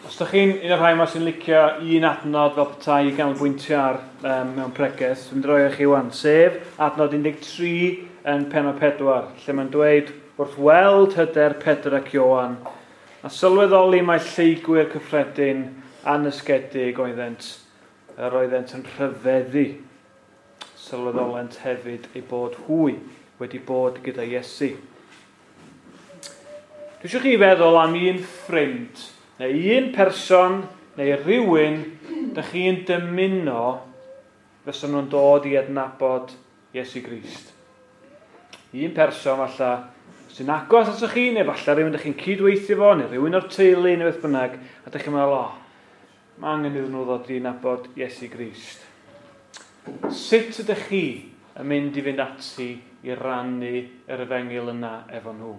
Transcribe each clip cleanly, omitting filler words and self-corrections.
Os ydych chi'n un o'r rhai yma sy'n licio un adnod fel petai i ganolbwyntio ar mewn pregeth, dwi'n mynd i roi i chi wan, sef adnod 13 yn pennod 4, lle mae'n dweud wrth weld hyder Pedr ac Ioan, a sylweddoli mai lleygwyr cyffredin anysgedig oeddent, yr oeddent yn rhyfeddu. Sylweddolent hefyd eu bod hwy wedi bod gyda Iesu. Dwi eisiau chi feddwl am un ffrind neu un person neu rhywun dych chi'n dymuno fysa nhw'n dod i adnabod Iesu Grist. Un person falle sy'n agos atoch chi, neu falle rhywun dych chi'n cydweithio fo, neu rhywun o'r teulu, neu beth bynnag, a dych chi'n meddwl, o, mae angen iddyn nhw ddod i nabod Iesu Grist. Sut ydych chi yn mynd i fynd ati i rannu yr efengyl yna efo nhw?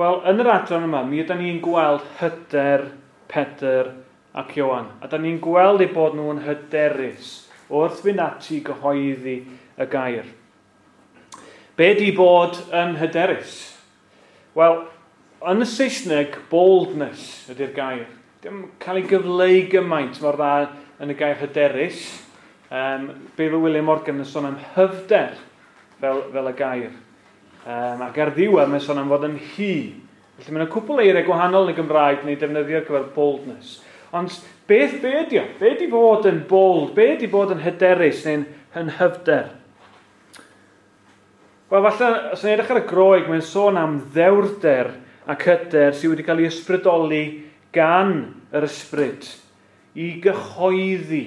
Wel, yn yr adran yma, mi ydyn ni'n gweld hyder Pedr ac Ioan. A da ni'n gweld eu bod nhw'n hyderus wrth fynd ati i gyhoeddi y gair. Be di bod yn hyderus? Wel, yn y Saesneg, boldness ydy'r gair. Dim cael ei gyfleu gymaint mor dda yn y gair hyderus. Beibl William Morgan yn sôn am hyfder fel y gair. Ac ar ddiwedd mae'n sôn am fod yn hy. Felly mae'n cwpl eiriau gwahanol yn y Gymraeg neu defnyddio ar gyfer boldness. Ond beth be ydi o? Be ydi fod yn bold? Be ydi bod yn hyderus neu'n yn hyfder? Wel, falle, os ni'n edrych ar y Groeg, mae'n sôn am ddewrder ac hyder sydd wedi cael ei ysbrydoli gan yr ysbryd i gyhoeddi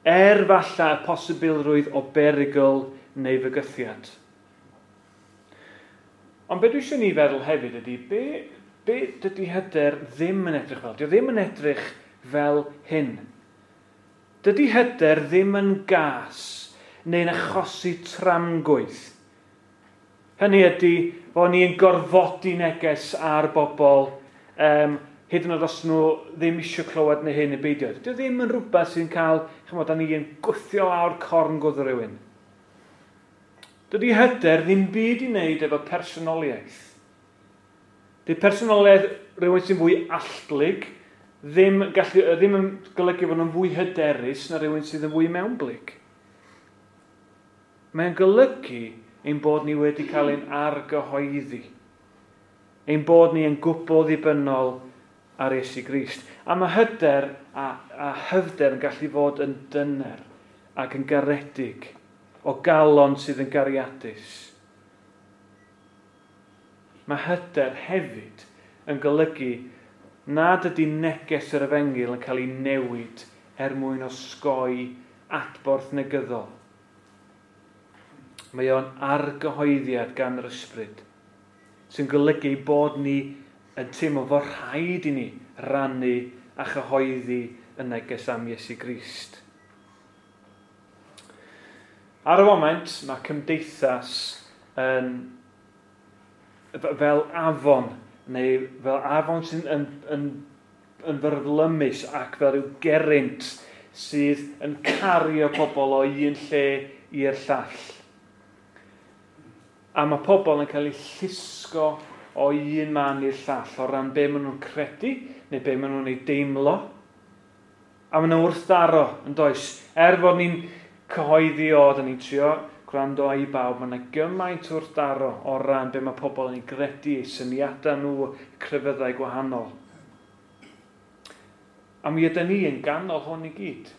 falle y posibilrwydd o berygl neu fygythiad. Ond be dwi eisiau ni feddwl hefyd ydy, be dydy hyder ddim yn edrych fel? Dio ddim yn edrych fel hyn. Dydy hyder ddim yn gas neu'n achosi tramgwydd. Hynny ydy fod ni'n gorfodi neges ar bobl, hyd yn oed os nhw ddim eisiau clywed neu hyn neu beidio. Dydy o ddim yn rhywbeth sy'n cael, chymod, da ni'n gwthio lawr corn gwddw rhywun. Dydy hyder ddim byd i wneud efo personoliaeth. Dydy personoliaeth rhywun sy'n fwy allblyg ddim yn golygu fod nhw'n fwy hyderus na rhywun sydd yn fwy mewnblyg. Mae'n golygu ein bod ni wedi cael ein argyhoeddi. Ein bod ni yn gwbl ddibynnol ar Iesu Grist. A mae hyder a hyfder yn gallu fod yn dyner ac yn garedig, o galon sydd yn gariadus. Mae hyder hefyd yn golygu nad ydy neges yr efengyl yn cael ei newid er mwyn osgoi adborth negyddol. Mae o'n argyhoeddiad gan yr ysbryd, sy'n golygu bod ni yn teimlo fod rhaid i ni rannu a chyhoeddi y neges am Iesu Grist. Ar y foment, mae cymdeithas yn fel afon, neu fel afon sy'n yn fyrlymus ac fel rhyw gerrynt sydd yn cario pobl o un lle i'r llall. A mae pobl yn cael eu llusgo o un man i'r llall o ran be maen nhw'n credu neu be maen nhw'n ei deimlo. A maen nhw'n wrthdaro, yn does? Er fod ni'n cyhoeddi o, da ni'n trio gwrando i bawb, mae yna gymaint wrthdaro o ran be mae pobl yn ei gredu, eu syniadau nhw, crefyddau gwahanol. A mi ydy ni yn ganol hwn i gyd.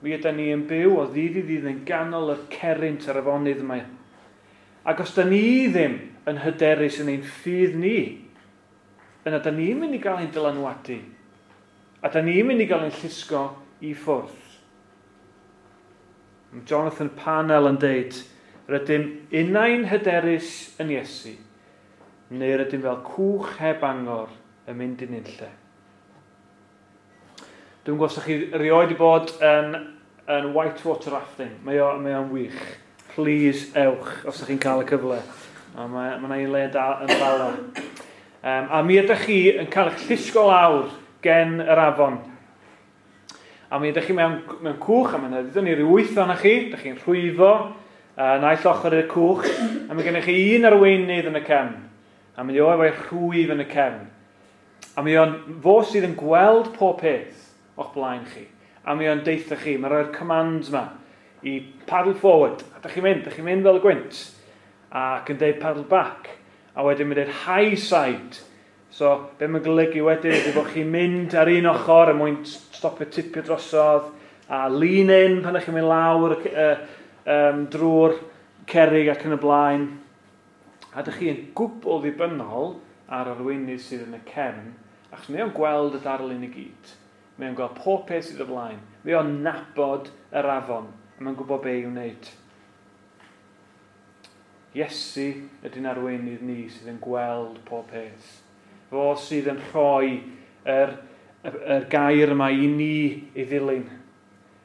Mi ydy ni yn byw o ddydd i ddydd yn ganol y cerrynt ar afonydd yma. Ac os da ni ddim yn hyderus yn ein ffydd ni, yna da ni'n mynd i gael ein dylanwadu. A da ni'n mynd i gael ein llusgo i ffwrdd. Mae Jonathan Parnell yn deud, rydym unai'n hyderus yn Iesu, neu rydym fel cwch heb angor yn mynd i nunlle. Dwi'n gwybod os ydych chi erioed wedi bod yn whitewater rafting. Mae o'n wych. Please ewch os ydych chi'n cael y cyfle. A mae yna un le da yn Bala. A mi ydych chi yn cael eich llusgo lawr gen yr afon. A mi ydych chi mewn cwch, a mae'n ddeudon ni ryw 8 ohonoch chi, ydych chi'n rhwyfo naill ochr i'r cwch, a mae gennych chi un arweinydd yn y cefn. A mae o efo'i rhwyf yn y cefn. A mi o'n fo sydd yn gweld pob peth o'ch blaen chi. A mi o'n deitha chi, mae'n rhoi'r commands yma i paddle forward. A da chi'n mynd, da chi'n mynd fel y gwynt. Ac yn deud paddle back. A wedyn mae'n deud high side. So, be mae'n golygu wedyn ydy bod chi'n mynd ar un ochr er mwyn stopio tipio drosodd, a lean in pan ydych chi'n mynd lawr drwy'r cerrig ac yn y blaen. A ydych chi'n gwbl ddibynnol ar arweinydd sydd yn y cefn, achos mae o'n gweld y darlun i gyd. Mae o'n gweld pob peth sydd o flaen. Mae o'n nabod yr afon, a mae'n gwybod be i'w wneud. Iesu ydy'n arweinydd ni sydd yn gweld pob peth. Fo sydd yn rhoi yr gair yma i ni ei ddilyn.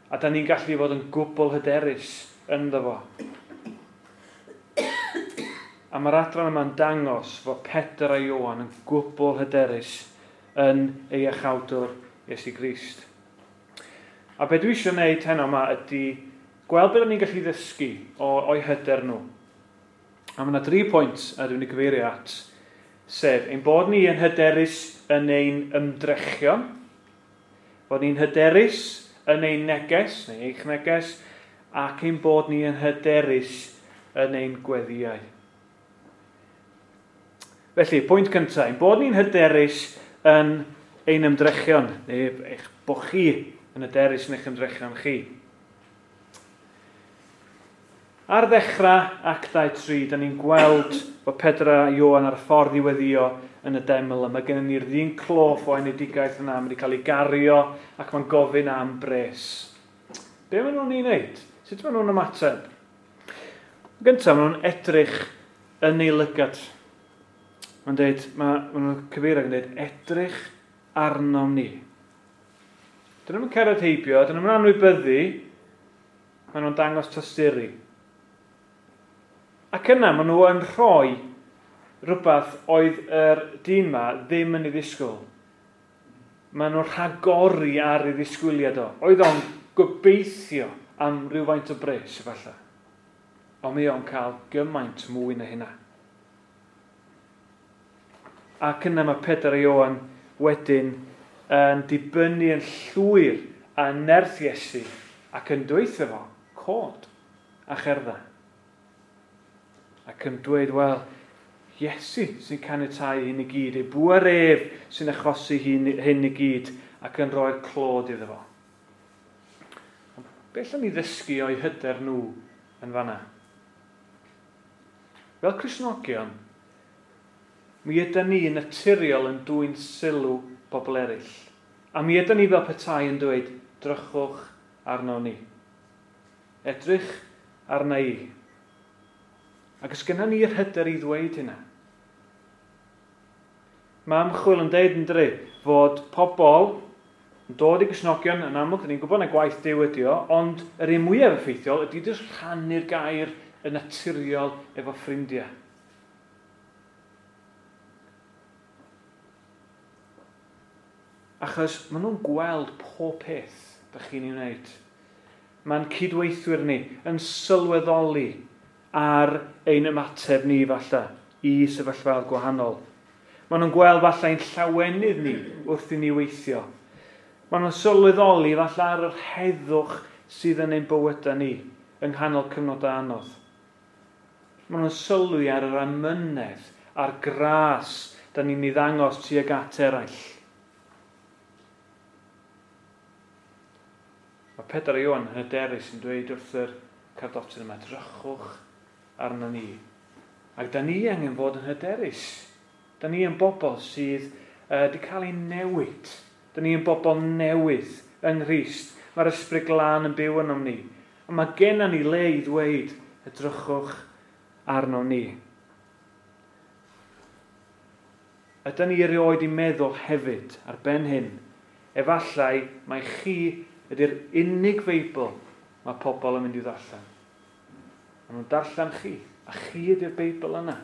A da ni'n gallu fod yn gwbl hyderus ynddo fo. A mae'r adran yma'n dangos fod Pedr a Ioan yn gwbl hyderus yn ei iachawdwr Iesu Grist. A be dwi eisiau gwneud heno yma ydy gweld beth ni'n gallu ddysgu o'i hyder nhw. A mae yna 3 pwynt a dwi'n ei gyfeirio at, sef ein bod ni yn hyderus yn ein ymdrechion, bod ni'n hyderus yn ein neges, neu eich neges, ac ein bod ni yn hyderus yn ein gweddïau. Felly, pwynt cyntaf, ein bod ni'n hyderus yn ein ymdrechion, neu eich bod chi yn hyderus yn eich ymdrechion chi. Ar ddechrau Actau 3, da ni'n gweld bod Pedr a Ioan ar y ffordd i weddio yn y deml, a mae gennym ni'r ddyn cloff o enedigaeth yna, mae wedi cael ei gario ac mae'n gofyn am bres. Be maen nhw'n ei wneud? Sut maen nhw'n ymateb? Gyntaf, maen nhw'n edrych yn ei lygad. Mae'n dweud, maen nhw'n cyfeirio yn dweud, edrych arnom ni. Dyn nhw'n cerdded heibio, dyn nhw'n anwybyddu, maen nhw'n dangos tosturi. Ac yna maen nhw yn rhoi rhywbeth oedd yr dyn ma ddim yn ei ddisgwyl. Maen nhw'n rhagori ar ei ddisgwyliad o. Oedd o'n gobeithio am rhywfaint o bres efallai. Ond mi o'n cael gymaint mwy na hynna. Ac yna mae Pedr a Ioan wedyn yn dibynnu yn llwyr a nerth Iesu ac yn dweithio fo, cod a cherdda. Ac yn dweud, wel, Iesu sy'n caniatáu hyn i gyd, ei bŵer ef sy'n achosi hyn i gyd ac yn rhoi'r clod iddo fo. Ond beth allwn ni ddysgu o'i hyder nhw yn fanna? Fel Cristnogion, mi ydy ni yn naturiol yn dwyn sylw bobl eraill. A mi ydy ni fel petai yn dweud, drychwch arno ni. Edrych arna i. Ac os gynna ni'r hyder i ddweud hynna. Mae ymchwil yn deud yn dri fod pobl yn dod i Gristnogion yn amlwg, ni'n gwybod na gwaith Duw ydi o, ond yr un mwyaf effeithiol ydy jyst rhannu'r gair yn naturiol efo ffrindiau. Achos maen nhw'n gweld pob peth da chi'n ei wneud. Mae'n cydweithwyr ni yn sylweddoli ar ein ymateb ni falle i sefyllfaoedd gwahanol. Maen nhw'n gweld falle ein llawenydd ni wrth i ni weithio. Maen nhw'n sylweddoli falle ar yr heddwch sydd yn ein bywydau ni yng nghanol cyfnodau anodd. Maen nhw'n sylwi ar yr amynedd a'r gras da ni'n ei ddangos tuag at eraill. Mae Pedr a Ioan yn hyderus yn dweud wrth yr cardotyn yma, drychwch arno ni. Ac da ni angen fod yn hyderus. Da ni yn bobl sydd wedi cael ei newid. Da ni yn bobl newydd yng Nghrist. Mae'r Ysbryd Glân yn byw ynom ni. A mae genna ni le i ddweud, edrychwch arno ni. Ydy ni erioed i meddwl hefyd ar ben hyn, efallai mai chi ydy'r unig Feibl mae pobl yn mynd i ddarllen. Maen nhw'n darllen chi, a chi ydy'r Beibl yna.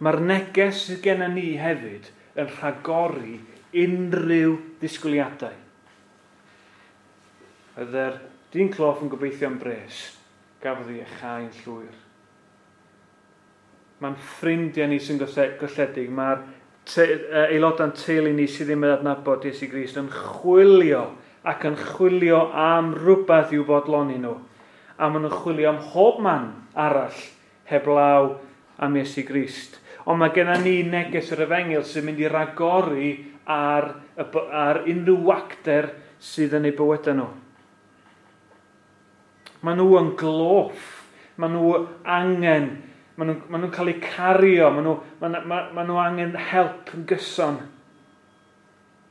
Mae'r neges sydd gennym ni hefyd yn rhagori unrhyw ddisgwyliadau. Oedd yr dyn cloff yn gobeithio am bres, gafodd ei iachau'n llwyr. Mae'n ffrindiau ni sy'n golledig. Mae'r aelodau'n teulu ni sydd ddim yn adnabod Iesu Grist yn chwilio ac yn chwilio am rhywbeth i'w bodloni nhw. A maen nhw'n chwilio am hob man arall heblaw am Iesu Grist. Ond mae gennym ni neges yr efengyl sy'n mynd i ragori ar unrhyw wacter sydd yn eu bywydau nhw. Maen nhw yn gloff. Maen nhw angen, maen nhw'n cael eu cario, maen nhw angen help yn gyson.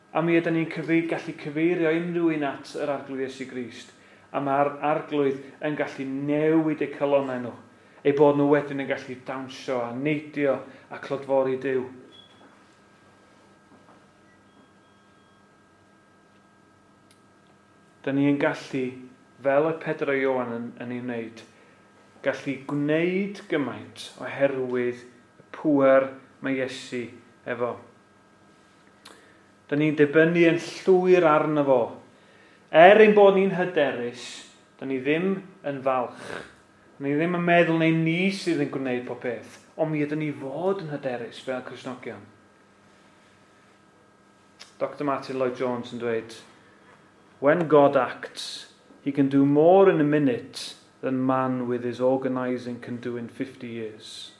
A mi ydyn ni'n gallu cyfeirio unrhyw un at yr Arglwydd Iesu Grist. A mae'r Arglwydd yn gallu newid eu calonnau nhw. Eu bod nhw wedyn yn gallu dawnsio a neidio a clodfori Duw. Da ni yn gallu, fel y Pedr a Ioan yn ei wneud, gallu gwneud gymaint oherwydd y pŵer mae Iesu efo. Da ni'n dibynnu yn llwyr arno fo. Er ein bod ni'n hyderus, da ni ddim yn falch. Da ni ddim yn meddwl neu ni sydd yn gwneud pob peth, ond mi ydyn ni fod yn hyderus fel Cristnogion. Dr Martin Lloyd-Jones yn dweud, "When God acts, he can do more in a minute than man with his organising can do in 50 years."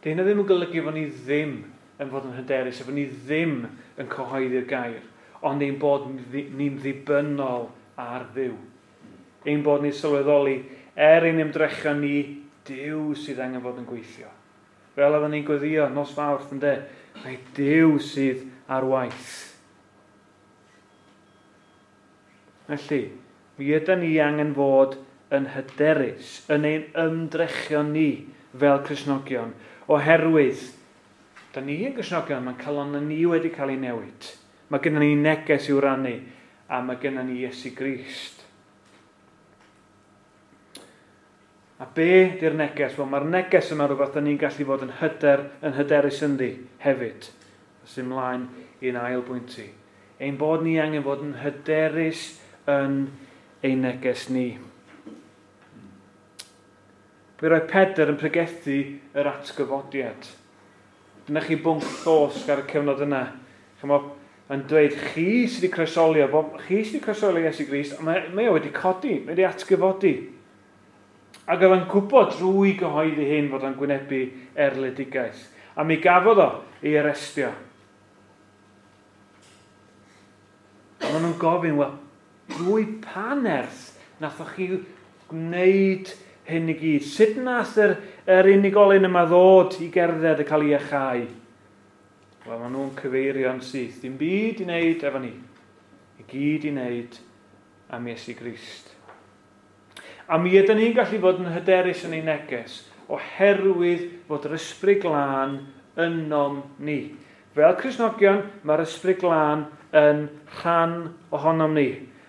Di hynna ddim yn golygu fod ni ddim yn fod yn hyderus, a fod ni ddim yn cyhoeddi'r gair, ond ein bod ni'n ddibynnol ar Dduw. Ein bod ni'n sylweddoli, er ein ymdrechion ni, Duw sydd angen fod yn gweithio. Fel oedden ni'n gweddio nos Fawrth, ynde, mae Duw sydd ar waith. Felly, mi ydyn ni angen fod yn hyderus, yn ein ymdrechion ni fel Cristnogion, oherwydd, da ni yn Gristnogion, mae'n calon ni wedi cael ei newid. Mae gennym ni neges i'w rannu, a mae gennym ni Iesu Grist. A be di'r neges? Wel, mae'r neges yma rhywbeth da ni'n gallu fod yn hyderus ynddi hefyd. Os ymlaen i'n ail bwynt i. Ein bod ni angen fod yn hyderus yn ein neges ni. Fe roedd Pedr yn pregethu yr atgyfodiad. Dyna chi bwnc llosg ar y cyfnod yna. Chymod, yn dweud, chi sydd wedi croesolio, chi sydd wedi croesolio Iesu Grist, a mae o wedi codi, mae wedi atgyfodi. Ac oedd o'n gwybod drwy gyhoeddi hyn fod o'n gwynebu erledigaeth. A mi gafodd o ei arestio. A maen nhw'n gofyn, wel, drwy pa nerth nathoch chi gwneud hyn i gyd? Sut nath yr unigolyn yma ddod i gerdded a cael ei iachau? Wel, maen nhw'n cyfeirio'n syth. Dim byd i wneud efo ni. I gyd i wneud am Iesu Grist. A mi ydyn ni'n gallu fod yn hyderus yn ein neges oherwydd fod yr Ysbryd Glân ynom ni. Fel Cristnogion, mae'r Ysbryd Glân yn rhan ohonom ni.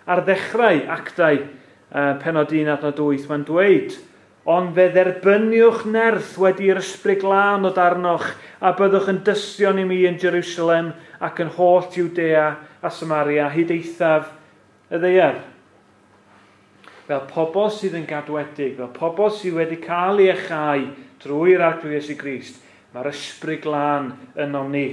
Ar ddechrau Actau penod 1 adnod 8, mae'n dweud, "Ond fe dderbyniwch nerth wedi i'r Ysbryd Glân ddod arnoch, a byddwch yn dystion i mi yn Jerusalem ac yn holl Jwdea a Samaria, hyd eithaf y ddaear." Fel pobl sydd yn gadwedig, fel pobl sydd wedi cael ei iachau drwy'r Arglwydd Iesu Grist, mae'r Ysbryd Glân ynom ni.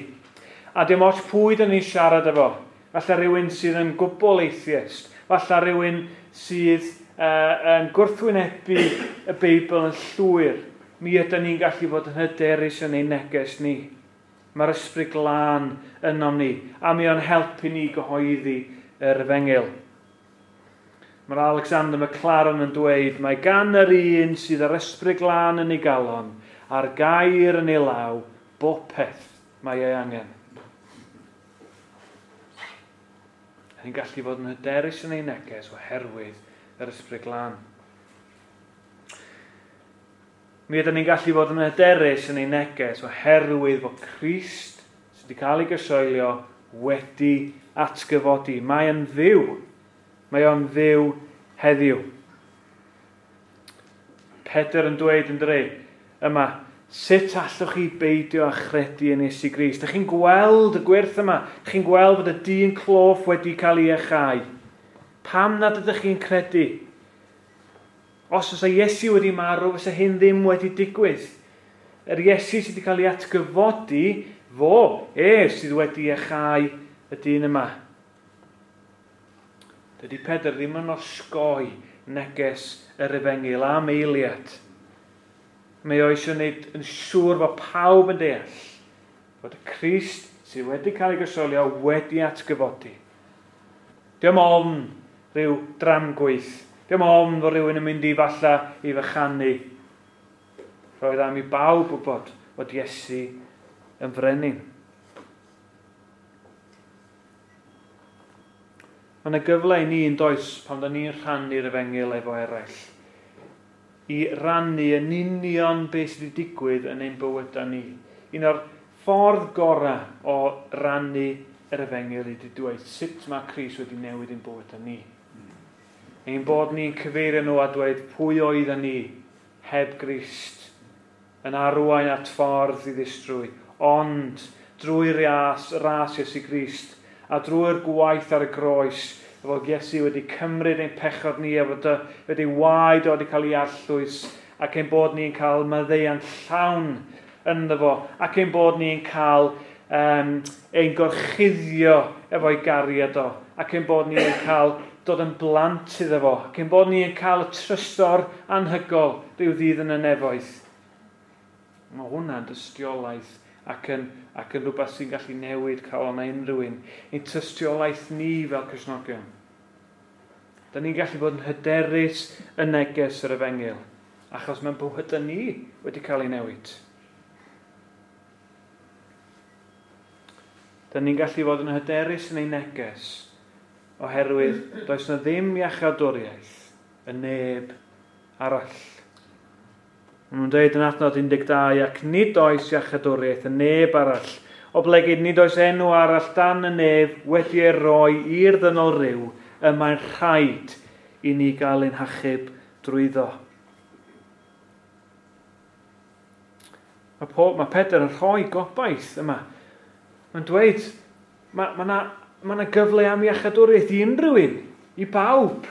A dim ots pwy dyn ni'n siarad efo. Falle rhywun sydd yn gwbl atheist, falle rhywun sydd yn gwrthwynebu y Beibl yn llwyr. Mi ydyn ni'n gallu fod yn hyderus yn ein neges ni. Mae'r Ysbryd Glân ynom ni, a mi o'n helpu ni gyhoeddi yr efengyl. Mae'r Alexander McLaren yn dweud, mae gan yr un sydd ar Ysbryd Glân yn ei galon, a'r gair yn ei law, bopeth mae ei angen. Ni'n gallu fod yn hyderus yn ein neges oherwydd yr Ysbryd Glân. Mi ydyn ni'n gallu fod yn hyderus yn ein neges oherwydd fod Crist sydd wedi cael ei gysoelio wedi atgyfodi. Mae yn fyw. Mae o'n fyw heddiw. Pedr yn dweud yn dre yma, sut allwch chi beidio â chredu yn Iesu Grist? Dych chi'n gweld y gwyrth yma? Dych chi'n gweld fod y dyn cloff wedi cael ei iachau? Pam nad ydych chi'n credu? Os oes Iesu wedi marw, fysa hyn ddim wedi digwydd. Yr Iesu sydd wedi cael ei atgyfodi, fo, ef sydd wedi iachau y dyn yma. Dydy Pedr ddim yn osgoi neges yr efengyl am eiliad. Mae o eisiau gwneud yn siŵr fod pawb yn deall fod y Crist sydd wedi cael ei groeshoelio wedi atgyfodi. Diolch ofn rhyw dramgwydd. Diolch ofn fod rhywun yn mynd i falla i fychanu. Roedd am i bawb wybod fod Iesu yn frenin. Mae yna gyfle i ni yn does pan da ni'n rhannu'r efengyl efo eraill. I rannu yn union beth sydd wedi digwydd yn ein bywydau ni. Un o'r ffordd gorau o rannu yr efengyl ydy dweud sut mae Crist wedi newid ein bywydau ni. Ein bod ni'n cyfeirio nhw a dweud pwy oedden ni heb Grist yn arwain at ffordd i ddistrwy, ond drwy ras Iesu Grist a drwy'r gwaith ar y groes, fod Iesu wedi cymryd ein pechod ni a fod wedi waed o wedi cael ei arllwys, ac ein bod ni'n cael maddeuant llawn ynddo fo, ac ein bod ni'n cael ein gorchuddio efo'i gariad o, ac ein bod ni'n cael dod yn blant iddo fo, ac ein bod ni'n cael y trysor anhygoel rhyw ddydd yn y nefoedd. Mae hwnna'n dystiolaeth ac yn rhywbeth sy'n gallu newid calon unrhyw un. Ein tystiolaeth ni fel Cristnogion. Da ni'n gallu bod yn hyderus yn neges yr efengyl, achos mae'n bywydau ni wedi cael ei newid. Da ni'n gallu fod yn hyderus yn ei neges, oherwydd does na ddim iachawdwriaeth y neb arall. Maen nhw'n dweud yn adnod 12, ac nid oes iachawdwriaeth y neb arall, oblegid nid oes enw arall dan y nef wedi ei roi i'r ddynol ryw, y mae'n rhaid i ni gael ein hachub drwyddo. Mae Pedr yn rhoi gobaith yma. Mae'n dweud, mae yna gyfle am iachawdwriaeth i unrhyw un, i bawb.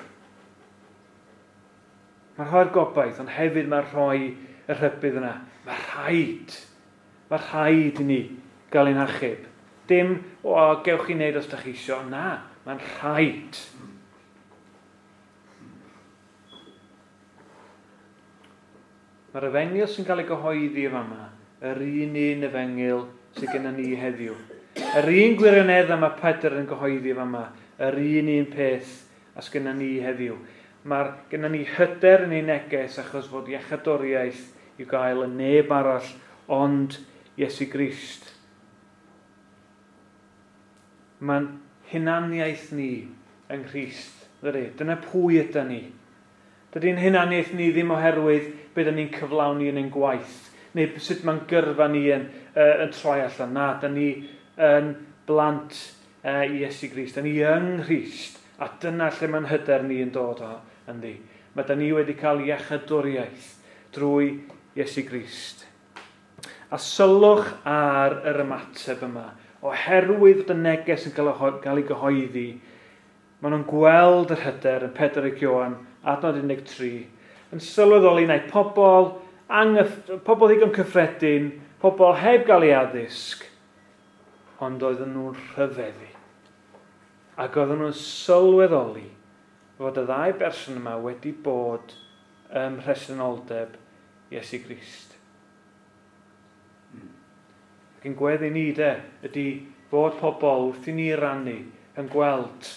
Mae'n rhoi'r gobaith, ond hefyd mae'n rhoi y rhybudd yna. Mae rhaid i ni gael ein hachub. Dim, gewch chi wneud os da chi isio. Na, mae'n rhaid. Mae'r efengyl sy'n cael ei gyhoeddi yma, yr un efengyl sydd gennym ni heddiw. Yr un gwirionedd mae Pedr yn gyhoeddi yma, yr un peth as gennym ni heddiw. Mae gennym ni hyder yn ei neges achos fod iachawdwriaeth i'w gael yn neb arall ond Iesu Grist. Mae'n hunaniaeth ni yng Nghrist. Dyna pwy ydy ni. Dydy'n hunaniaeth ni ddim oherwydd beth ydyn ni'n cyflawni yn ein gwaith, neu sut mae'n gyrfa ni yn troi allan. Na, dyn ni yn blant i Iesu Grist. Dyn ni yng Nghrist, a dyna lle mae'n hyder ni yn dod o ynddi. Mae dyn ni wedi cael iachawdwriaeth drwy Iesu Grist. A sylwch ar yr ymateb yma. Oherwydd fod y neges yn cael ei gyhoeddi, maen nhw'n gweld yr hyder yn Pedr ac Ioan, adnod 13, yn sylweddoli neu pobl, pobl ddigon cyffredin, pobl heb gael ei addysg, ond oedden nhw'n rhyfeddu. Ac oedden nhw'n sylweddoli fod y ddau berson yma wedi bod ym mhresenoldeb Iesu Grist. Ac yn gweddi ni de, ydy fod pobl wrth i ni rannu yn gweld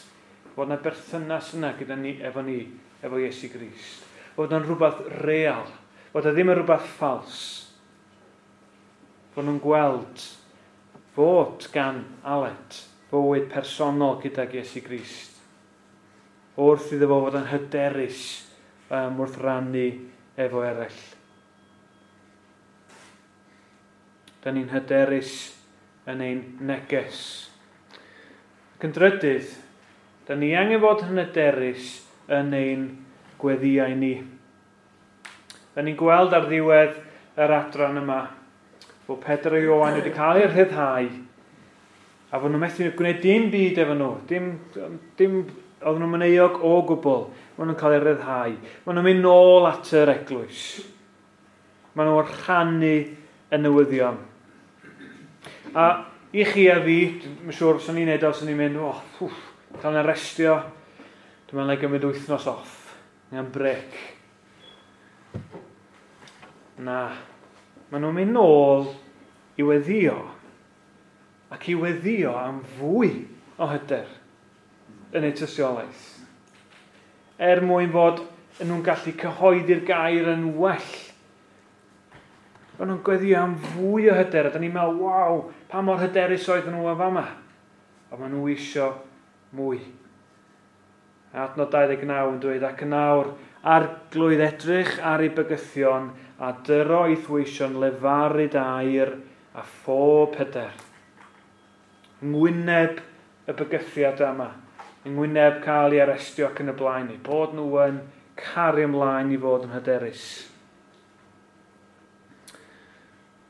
fod yna berthynas yna gyda ni, efo Iesu Grist. Fod yna'n rhywbeth real, fod yna ddim yn rhywbeth ffals. Fod nhw'n gweld fod gan Aled fywyd personol gydag Iesu Grist. Wrth iddo fo fod yn hyderus wrth rannu efo eraill. Da ni'n hyderus yn ein neges. Ac yn drydydd, da ni angen fod yn hyderus yn ein gweddïau ni. Da ni'n gweld ar ddiwedd yr adran yma fod Pedr a Ioan wedi cael eu rhyddhau a fod nhw'n methu gwneud dim byd efo nhw, dim Oedden nhw'n mynd euog o gwbl. Maen nhw'n cael eu rhyddhau. Maen nhw'n mynd nôl at yr eglwys. Maen nhw'n rhannu y newyddion. A i chi a fi, dwi'n siŵr os o'n i'n neud o, os o'n i'n mynd, oh, wff, cael yn arestio, dwi'n meddwl na i gymryd wythnos off, neu am brec. Na, maen nhw'n mynd nôl i weddio, ac i weddio am fwy o hyder yn eu tystiolaeth. Er mwyn fod nhw'n gallu cyhoeddi'r gair yn well. Maen nhw'n gweddio am fwy o hyder, a da ni'n meddwl, waw, pa mor hyderus oedden nhw yn fama. A maen nhw isio mwy. Adnod 29 yn dweud, ac yn awr, arglwydd edrych ar ei bygythion a dyro ei thwysion lefaru air a phob hyder. Ngwyneb y bygythiad yma, yng ngwyneb cael ei arestio ac yn y blaen, eu bod nhw yn caru ymlaen i fod yn hyderus.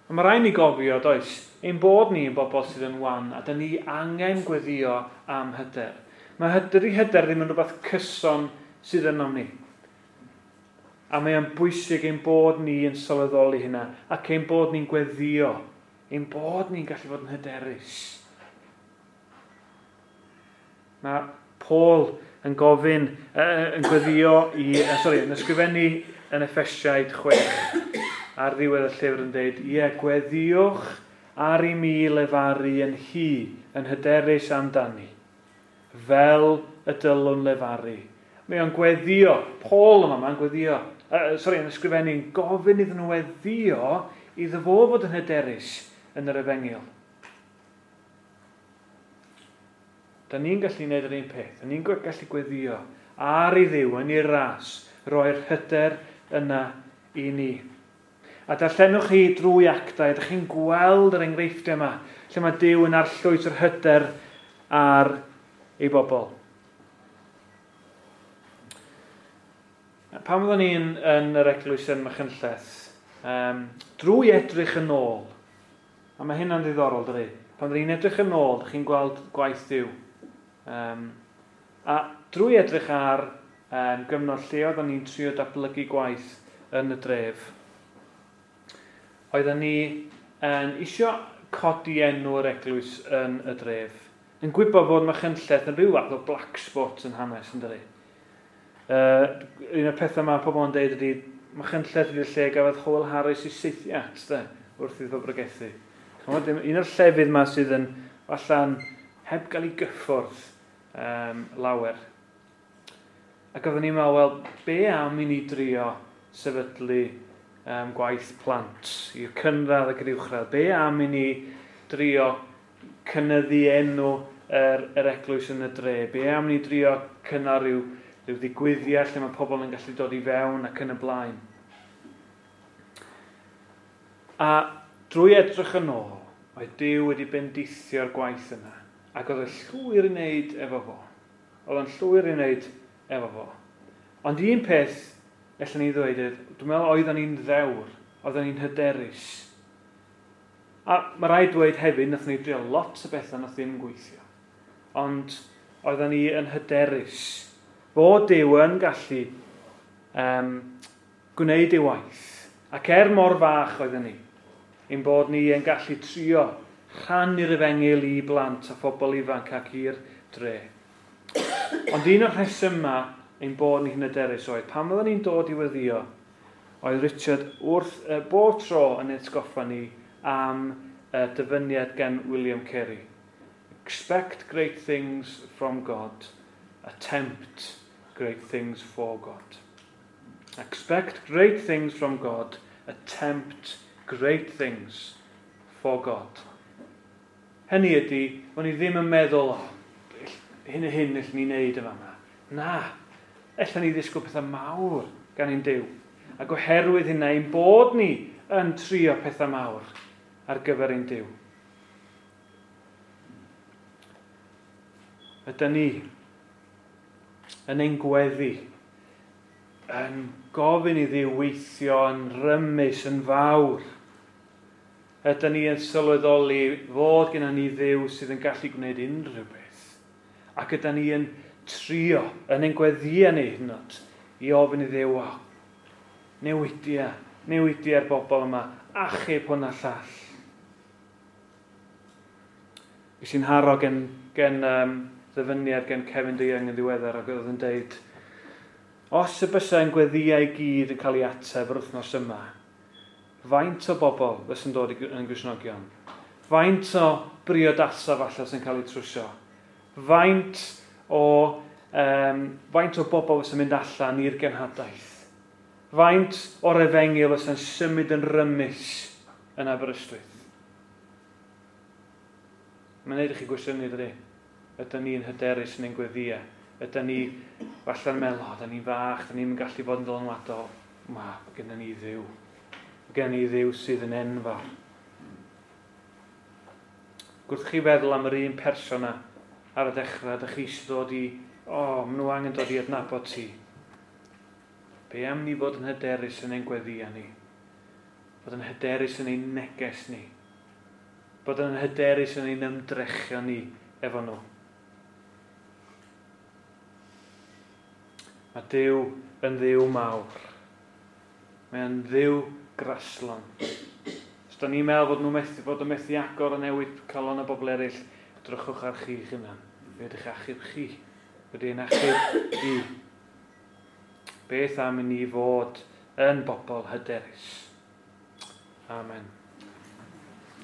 A mae rhaid ni gofio, does, ein bod ni yn bobl sydd yn wan, a dyn ni angen gweddio am hyder. Mae hyder i hyder ddim yn rhywbeth cyson sydd ynom ni. A mae o'n bwysig ein bod ni yn sylweddoli hynna, ac ein bod ni'n gweddio, ein bod ni'n gallu fod yn hyderus. Mae Paul yn gofyn, yn gweddio i, sorry, yn ysgrifennu yn Effesiaid 6 ar ddiwedd y llyfr yn dweud, ie, gweddiwch ar i mi lefaru yn hi, yn hyderus amdani, fel y dylwn lefaru. Mae o'n gweddio, Paul yma, mae'n gweddio, sorry, yn ysgrifennu, yn gofyn iddyn nhw weddio iddo fo fod yn hyderus yn yr efengyl. Da ni'n gallu gwneud yr un peth. Da ni'n gallu gweddio ar i Dduw yn ei ras, roi'r hyder yna i ni. A darllenwch chi drwy actau, ydych chi'n gweld yr enghreifftiau yma, lle mae Duw yn arllwys yr hyder ar ei bobl. Pan oeddwn ni'n yn yr eglwys yn Machynlleth, drwy edrych yn ôl, a mae hynna'n ddiddorol, dydy? Pan oeddwn ni'n edrych yn ôl, ydych chi'n gweld gwaith Duw. A drwy edrych ar gyfnod lle oeddwn ni'n trio datblygu gwaith yn y dref, oeddwn ni yn isio codi enw'r eglwys yn y dref. Yn gwybod fod Machynlleth yn rhyw fath o black spot yn hanes, yn dydi? Un o'r pethau mae pobl yn deud ydy, Machynlleth ydy'r lle gafodd Howell Harris i saethiat, de, wrth iddo bregethu. Un o'r llefydd yma sydd yn allan heb gael ei gyffwrdd lawer. Ac oeddwn ni'n meddwl, wel, be am i ni drio sefydlu gwaith plant i'r cynradd ac yr uwchradd? Be am i ni drio cynyddu enw yr eglwys yn y dre? Be am i ni drio cynnal rhyw ddigwyddiad lle mae pobl yn gallu dod i fewn ac yn y blaen? A drwy edrych yn ôl, oedd Duw wedi bendithio'r gwaith yna, ac oedd y llwyr i wneud efo fo. Oedd o'n llwyr i wneud efo fo. Ond un peth allan ni ddweud oedd, dwi'n meddwl oedden ni'n ddewr, oedden ni'n hyderus. A mae rhaid dweud hefyd, nath ni drio lot o bethau nath ddim gweithio. Ond oedden ni yn hyderus. Fod Duw yn gallu gwneud ei waith. Ac er mor fach oedden ni, ein bod ni yn gallu trio rhannu'r efengyl i blant a phobl ifanc ac i'r dre. Ond un o'r rhesymau ein bod ni'n hyderus oedd, pan oedden ni'n dod i weddio, oedd Richard wrth bob tro yn atgoffa ni am dyfyniad gan William Carey. Expect great things from God, attempt great things for God. Expect great things from God, attempt great things for God. Hynny ydy, o'n i ddim yn meddwl, oh, hyn a hyn allwn ni wneud yma. Na, allan ni ddisgwyl pethau mawr gan ein Duw. Ac oherwydd hynna, ein bod ni yn trio pethau mawr ar gyfer ein Duw. Ydy ni yn ein gweddi, yn gofyn i Dduw weithio yn rymus, yn fawr. Ydy ni yn sylweddoli fod gennym ni Dduw sydd yn gallu gwneud unrhyw beth. Ac ydy ni yn trio yn ein gweddïau ni hyd yn oed i ofyn i Dduw, o, newidia'r bobl yma, achub hwn a llall. Ges i'n haro gen ddyfyniad gen Kevin DeYoung yn ddiweddar ac oedd yn deud, os y bysa ein gweddïau i gyd yn cael ei ateb yr wythnos yma, faint o bobl fysa'n dod yn Gristnogion? Faint o briodasa falle sy'n cael eu trwsio? Faint o bobl fysa'n mynd allan i'r genhadaeth? Faint o'r efengyl fysa'n symud yn rymus yn Aberystwyth? Mae'n neud i chi gwestiynu, dydy? Ydyn ni'n hyderus yn ein gweddïau? Ydyn ni falle'n meddwl, o, ydyn ni'n fach, ydyn ni'n gallu bod yn dylanwadol? Mae gennym ni Dduw. Mae gennym ni Dduw sydd yn enfawr. Gwrth chi feddwl am yr un person yna ar y dechrau, ydych chi eisiau dod i, o, maen nhw angen dod i adnabod ti. Be am ni fod yn hyderus yn ein gweddïau ni? Bod yn hyderus yn ein neges ni? Bod yn hyderus yn ein ymdrechion ni efo nhw? Mae Duw yn Dduw mawr. Mae'n Dduw graslon. Os da ni'n meddwl bod nhw'n methu, bod yn methu agor a newid calon y bobl eraill, drychwch ar chi'ch hunan. Fe ydych achub chi. Wedi ein achub i. Beth am i ni fod yn bobl hyderus? Amen.